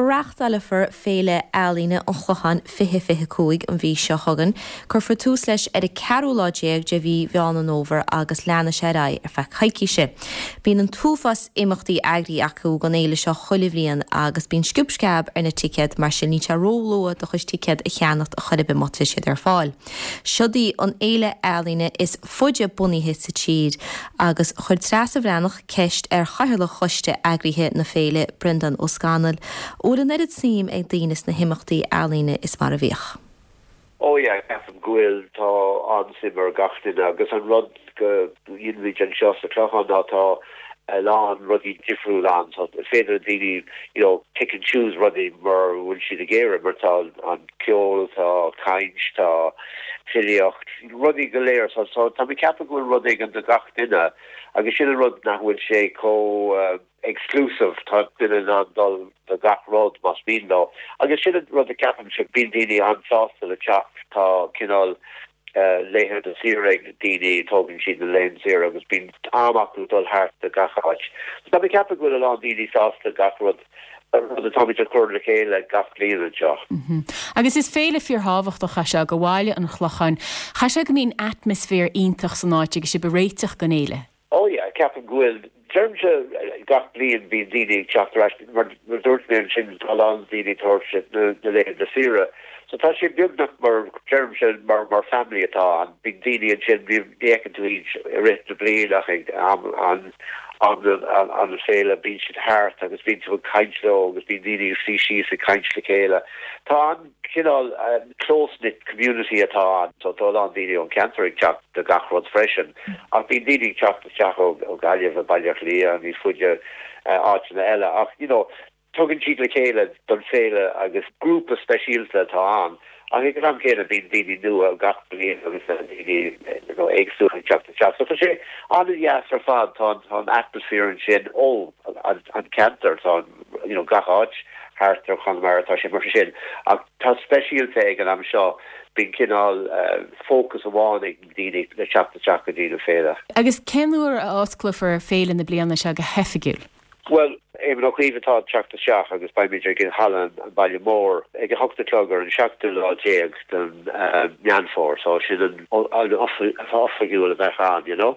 Reáchtálfar Féile Ealaíne an Chlocháin 2025 an mhí seo chugainn. Cuirfear tús leis ar an ceathrú lá déag de mhí Mheán an Fhómhair agus leanfaidh sé ar aghaidh ar feadh coicíse. Bíonn an t-uafás imeachtaí eagraithe acu don fhéile seo chuile bhliain agus bíonn sciob sceab ar na ticéid, mar sin níl sé ró-luath do chuid ticéad a cheannacht a chor ar bith má tá siad ar fáil. Seod í an fhéile ealaíne is faide bunaithe sa tír agus chuir Treasa Bhreathnach ceist ar chathaoirleach choiste eagraithe na féile, Breandán Ó Scanaill, an bhfuil an oiread suim ag daoine sna himeachtaí ealaíne is mar a bhíodh. Oh yeah, ceapaim go bhfuil, tá an-suim ar gach duine agus an rud go dhéanaimid anseo sa Chlochán ná tá a lán rudaí difriúil ann so is féidir le daoine you know pick and choose rudaí mar a bhfuil siad ag iarraidh mar tá an ceol, tá caint, tá filíocht, rudaí go léir so so tá mé ag ceapadh go bhfuil rud éigin do gach duine agus sin an rud nach bhfuil sé chomh exclusive, tá duine in ann dul do gach rud más mian leo. Agus sin an rud a ceapaimse, bíonn daoine an-sásta le teacht, tá cineál laethanta saoire ag daoine, tógann siad na laethanta saoire agus bíonn am acu dul thart do gach áit. So tá mé ag ceapadh go bhfuil a lán daoine sásta gach rud, rud atáimid a chur le chéile gach bliain anseo. Agus is féile fíorthábhachtach é seo do bhaile an Chlocháin. Chaithfidh sé go mbíonn atmaisféar iontach san áit agus sibh ag réiteach don fhéile. Oh yeah, ceapaim go bhfuil. Deirimse gach bliain bíonn daoine ag teacht ar ais, mar a dúirt mé ansin tá a lán daoine ag tabhairt na laethanta saoire. So tá sé beagnach mar, deirimse, mar mar family atá ann. Bíonn daoine ansin, ní fheiceann tú iad i rith na bliana ach ag am an am an féile bíonn siad thart agus bíonn tú ag caint leo agus bíonn daoine ag suí síos ag caint le chéile. Tá an cineál close-knit community atá ann. So tá a lán daoine ón cheantar ag teacht do gach rud freisin. Ach bíonn daoine ag teacht isteach ó Ghaillimh, ó Baile Átha Cliath, níos faide, áiteanna eile. Ach, you know, tugann siad le chéile don féile agus grúpa speisialta atá ann. Ach ag an am céanna bíonn daoine nua gach bliain agus daoine you know éagsúla ag teacht isteach. So tá sé an-deas ar fad. Tá an atmaisféar ansin ó an ceantar, tá an you know gach áit thart ar Chonamara tá sé mar sin. Ach tá speisialta ag an am seo, bíonn cineál fócas amháin ag daoine le teacht isteach go dtí na féile. Agus cén uair a osclófar féile na bliana seo go hoifigiúil? Bhuel, Éamon Ó Cuív atá ag teacht isteach agus beimid ag Halla an Bhaile Mór ag a hocht a chlog ar an seachtú lá déag den Meán Fómhair, so sin an oifigiúil a bheadh ann, you know.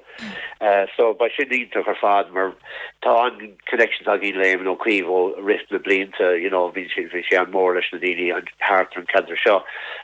So beidh sin iontach ar fad mar tá an connections againn le Éamon Ó Cuív ó rith na blianta, you know, bhí sé bhí sé an-mhór leis na daoine thart ar an ceantar seo.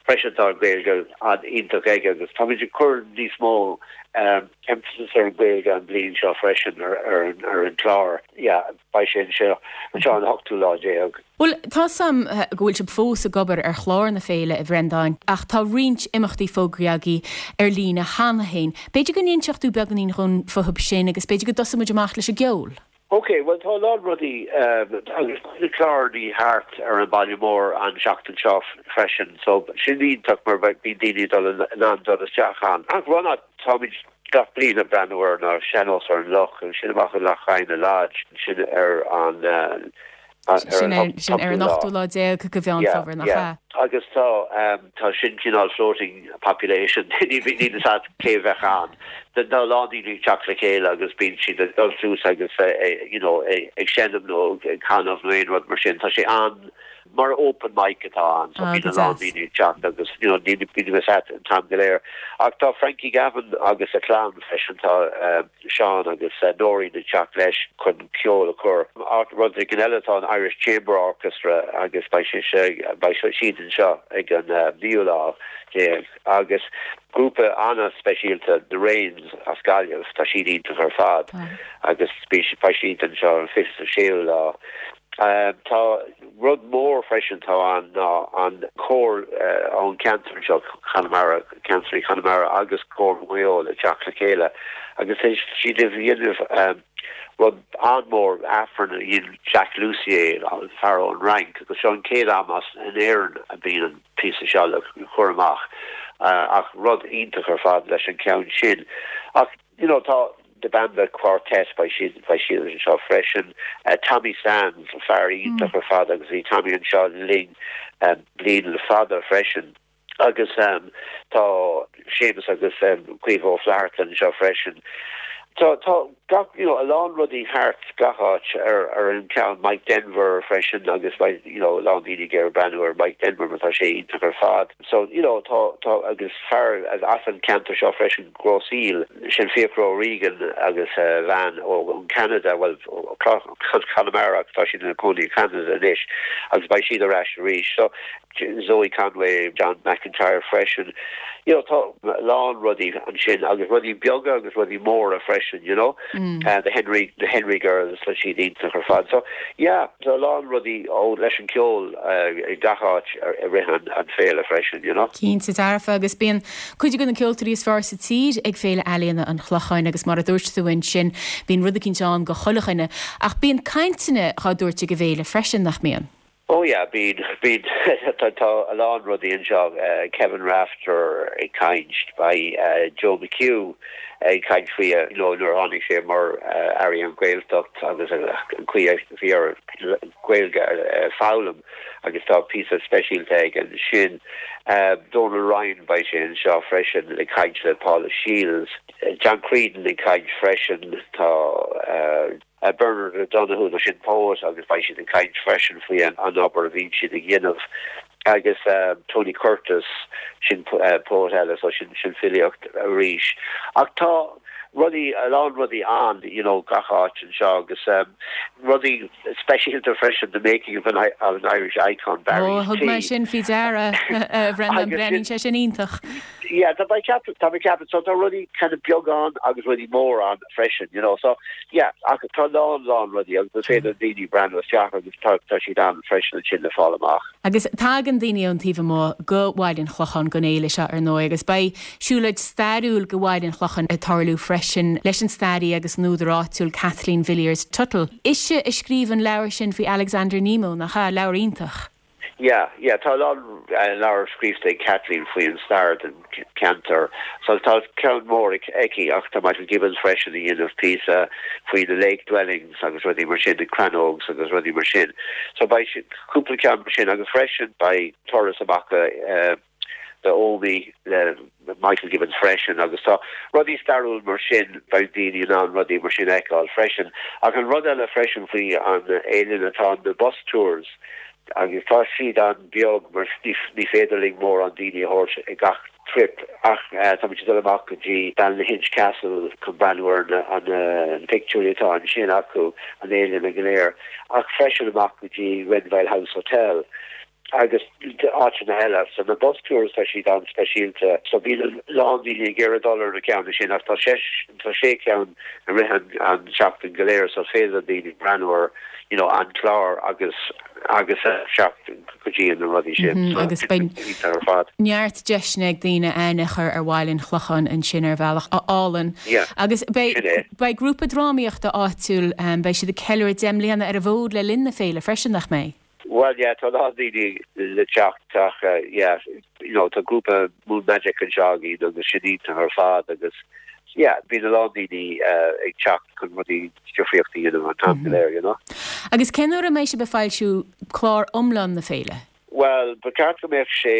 Freisin tá an Ghaeilge an-iontach aige agus táimid ag cur níos mó emphasis ar an Ghaeilge an bhliain seo freisin ar ar an ar an chlár. Yeah, beidh sé anseo anseo an ochtú lá déag. Bhuel, tá 's a'm go bhfuil sibh fós ag obair ar chlár na féile, a Bhreandáin, ach tá roinnt imeachtaí fógraithe agaibh ar líne cheana féin. B'fhéidir go n-inseodh tú beagáinín dhúinn fúthu sin agus b'fhéidir go dtosóidh muid amach leis an gceol. Ok, bhuel tá a lán rudaí agus tá na clárannaí thart ar an baile mór an seachtain seo freisin so sin iontach mar bíonn daoine dul in ann dul isteach ann. Ach rud atáimid gach bliain ag breathnú air ná Sean-Nós ar an Loch, sin amach i Loch Adhna Lodge, sin ar an Sin ar an ochtú lá déag de Mheán Fómhair, nach ea? Agus tá, tá sin cineál floating population, níl fhios agat cé a bheadh ann. Tá a lán daoine ag teacht le chéile agus bíonn siad ag dul suas agus you know ag seinm nó ag canadh nó aon rud mar sin. Tá sé an, mar open mic atá ann so bíonn a lán daoine ag teacht agus you know níl fhios agat an t-am go léir. Ach tá Frankie Gavin agus a chlann freisin, tá. Seán agus Nóirín ag teacht leis chun ceol a chur. Rud éigin eile tá an Irish Chamber Orchestra agus beidh sé beidh siad anseo ag an naoú lá déag agus grúpa an-speisialta The Rains as Gaillimh, tá siad iontach ar fad agus beidh siad anseo an 26ú lá. Tá rud mór freisin atá ann ná an cór ón cheantar anseo, Conamara, Ceannsraí Chonamara agus Cór Mhaigh Eo le teacht le chéile agus tá siad ag déanamh rud an-mhór, Aifreann a dhein Jacques Loussier, fear ón Fhrainc, agus seo an chéad am as in Éirinn a bíonn an píosa seo le cur amach ach rud iontach ar fad leis an cheann sin. Ach. You know, tá The Bamba Quartet, beidh siad, beidh siad anseo freisin. Tommy Sands, fear iontach ar fad agus bhí Tommy anseo linn bliain le fada freisin. Agus tá Séamus agus Caoimhe Ó Flatharta anseo freisin. Tá, tá. gach, you know, a lán rudaí thart gach áit ar ar an ceann Mike Denver freisin agus beidh, you know, a lán daoine ag iarraidh breathnú ar Mike Denver mar tá sé iontach ar fad. So, you know, tá, tá, agus fear as an ceantar seo freisin, Grosse Ile, sin Fiachra O'Regan agus a bhean ó Canada, bhuel, ó Conamara ach tá siad ina cónaí i Canada anois agus beidh siad ar ais arís. So, Zoe Conway, John McIntyre freisin. You know, tá a lán rudaí ansin agus rudaí beaga agus rudaí móra freisin, you know. The Henry, the Henry Girls, tá siad iontach ar fad. So, yeah, tá a lán rudaí ó leis an ceol i gach áit i rith an an féile freisin, you know. Cinnte dearfa agus bíonn cuid de na ceoltóirí is fearr sa tír ag Féile Ealaíona an Chlocháin agus mar a dúirt tú ansin bíonn rud eicínt ann go chuile dhuine. Ach bíonn cainteanna dhá dtabhairt ag an bhféile freisin, nach mbíonn? Oh yeah, bíonn, bíonn, tá, tá a lán rudaí anseo, Kevin Rafter ag caint, beidh Joe McHugh ag caint faoi, you know, nuair a tháinig sé mar Aire an Ghaeltacht agus an chaoi a bhí air Gaeilge a foghlaim agus tá píosa speisialta aige ansin. Donal Ryan, beidh sé anseo freisin ag caint le Paula Shields. John Creedon ag caint freisin, tá. Bernard O'Donoghue, nó sin poet agus beidh siad ag caint freisin faoi an obair a bhíonn siad ag dhéanamh agus Tony Curtis, sin poet eile so sin sin filíocht arís. Ach tá rudaí, a lán rudaí ann you know gach áit anseo agus rudaí speisialta freisin the making of an of an Irish icon, Barry's Tea. Ó, thug mé sin faoi deara, a Bhrendan, breathnaíonn sé sin iontach. Yeah, tá mé ag ceapadh, tá mé ag ceapadh, so tá rudaí kind of beag ann agus rudaí mór ann. freisin, you know. So, yeah, ach tá a lán, lán rudaí agus is féidir le daoine breathnú isteach agus tá, tá siad ann freisin ansin le fáil amach. Agus tagann daoine ón taobh amuigh go Bhaile an Chlocháin don fhéile seo, ar ndóigh, agus beidh siúlóid stairiúil go Bhaile an Chlocháin ag tarlú freisin leis an staraí agus an údar áitiúil Kathleen Villiers Tuttle. Ise a scríobh an leabhar sin faoi Alexander Nemo, nach ea? Leabhar iontach. Yeah, yeah, tá a lán leabhar scríofa ag Kathleen faoi an stair den cheantar. So tá ceann mór aici ach tá Michael Gibbons freisin ag déanamh píosa faoi na lake dwellings agus rudaí mar sin, na crannógs agus rudaí mar sin. So beidh cúpla ceann mar sin agus freisin beidh turas amach go The Omey le Michael Gibbons freisin agus tá rudaí stairiúil mar sin, beidh daoine in ann rudaí mar sin a fheiceáil freisin. Ach an rud eile freisin faoi an fhéile ná tá na bus tours agus tá siad an-bheag mar ní féidir linn mórán daoine a thabhairt ag gach trip ach táimid ag dul amach go dtí Ballynahinch Castle chun breathnú ar na pictiúirí atá ansin acu, an fhéile go léir ach freisin amach go dtí Renvyle House Hotel. agus áiteanna eile. So na bus tours tá siad an-speisialta. So bíonn a lán daoine ag iarraidh dul ar na ceanna sin ach tá sé tá sé ceann i rith an an seachtain go léir so is féidir le daoine breathnú ar you know an clár agus agus teacht go dtí na rudaí sin. So Agus beidh iontach ar fad. neart deiseanna ag daoine aithne a chur ar Bhaile an Chlocháin ansin ar bhealach álainn. Yeah, Agus beidh sin é. beidh grúpa drámaíochta áitiúil beidh siad ag ceiliúradh 10 mbliana ar an bhfód le linn na féile freisin, nach mbeidh? Bhuel yeah tá a lán daoine le teacht ach yeah you know tá grúpa Moon Magic anseo againn agus sin iontach ar fad agus yeah bíonn a lán daoine ag teacht chun rudaí difríocht a dhéanamh an t-am go léir you know. Agus cén uair a mbeidh sibh ag foilsiú clár iomlán na féile? Bhuel ba cheart go mbeadh sé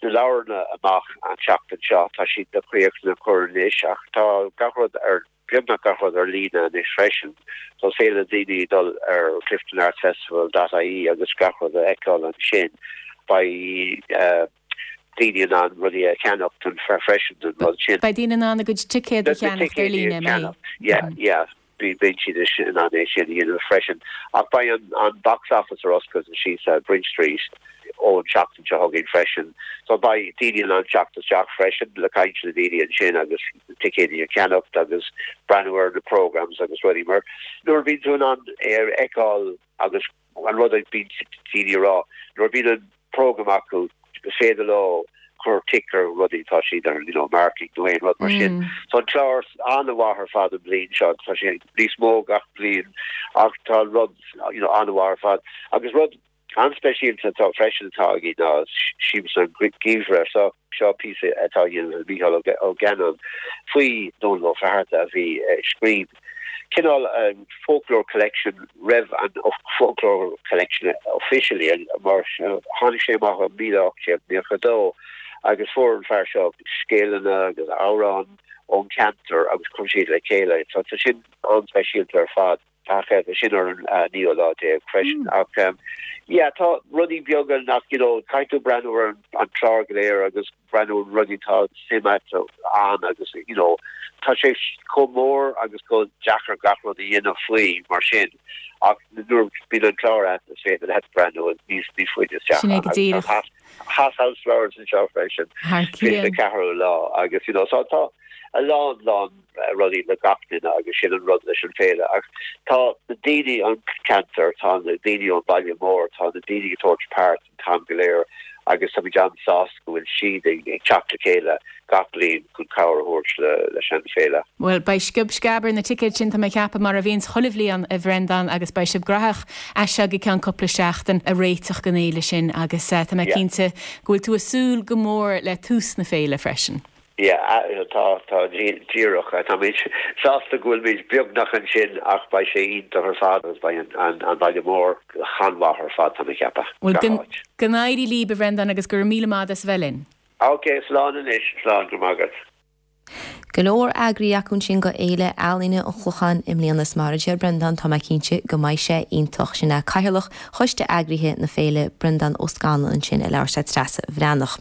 na leabharanna amach an tseachtain seo, tá siad le críochnú a chur anois ach tá gach rud ar beagnach gach rud ar líne anois freisin, so is féidir le daoine dul ar cliftonartsfestival dot ie agus gach rud a fheiceáil ansin. Beidh daoine in ann rudaí a cheannacht freisin don rud sin. Beidh daoine in ann a gcuid ticéad a cheannacht ar líne, an mbeidh? Yeah, yeah. Beidh siad in ann é sin a dhéanamh freisin. Ach beidh an box office ar oscailt síos ar Bridge Street ón tseachtain seo chugainn freisin. So beidh daoine in ann teacht isteach freisin le caint le daoine ansin agus ticéidí a cheannacht agus breathnú ar na programmes agus rudaí mar nuair a bhíonn tú in ann é a fheiceáil agus an rud a bhíonn daoine a rá nuair a bhíonn an program acu is féidir leo cur tic ar rudaí tá siad ar you know marking nó aon rud mar sin. So an clár an-mhaith ar fad an bhliain seo tá sé níos mó gach bliain ach tá an rud you know an-mhaith ar fad agus rud an-speisialta atá freisin atá againn ná Siamsa an Gheimhridh. So seo píosa atá á dhéanamh ag Mícheál Ó Geanáin faoi Dónal Ó Flatharta a bhí ag scríobh cineál folklore collection roimh an folklore collection officially mar tháinig sé amach i 1892. Agus fuair an fear seo scéalanna agus amhráin ón cheantar agus chuir siad le chéile. So tá sin an-speisialta ar fad. Tá sin ar an naoú lá déag freisin. Ach yeah, tá rudaí beaga nach, you know, caithfidh tú breathnú ar an chlár go léir agus breathnú ar rudaí atá suim agat ann agus, you know, tá sé chomh mór agus chomh deacair gach rud a dhéanamh faoi mar sin ach nuair a bhíonn an clár agat is féidir leat breathnú níos níos faide isteach Sin é go díreach. Hothouse Flowers anseo freisin. Thar cionn. 24ú lá agus, you know, so tá a lán lán rudaí le gach duine agus sin an rud leis an féile ach tá na daoine ón ceantar, tá na daoine ón baile mór, tá na daoine ag tabhairt páirt an t-am go léir agus táimid an-sásta go bhfuil siad ag teacht le chéile gach bliain chun cabhair a thabhairt leis an féile. Bhuel, beidh sciob sceab ar na ticéid sin, tá mé ag ceapadh, mar a bhíonns chuile bhliain, a Bhreandáin, agus beidh sibh graitheach as seo go ceann cúpla seachtain ag réiteach don fhéile sin agus tá mé cinnte go bhfuil tú ag súil go mór le tús na féile freisin. Yeah, tá, tá, díreach. Táimid sásta go bhfuilimid beagnach ansin ach beidh sé iontach ar fad agus beidh an baile mór an-mhaith ar fad, tá mé ag ceapadh, Bhuel, gach áit. go n-éirí libh, a Bhreandáin, agus go raibh míle maith agat as a bheith linn. Ok, slán anois, slán, go raibh maith agat. Go leor eagraithe acu ansin go Fhéile Ealaíne an Chlocháin i mbliana is mar a deir Breandán tá mé cinnte go mbeidh sé iontach. Sin é Cathaoirleach Choiste Eagraithe na Féile, Breandán Ó Scanláin ansin ag labhairt le Treasa Bhreathnach.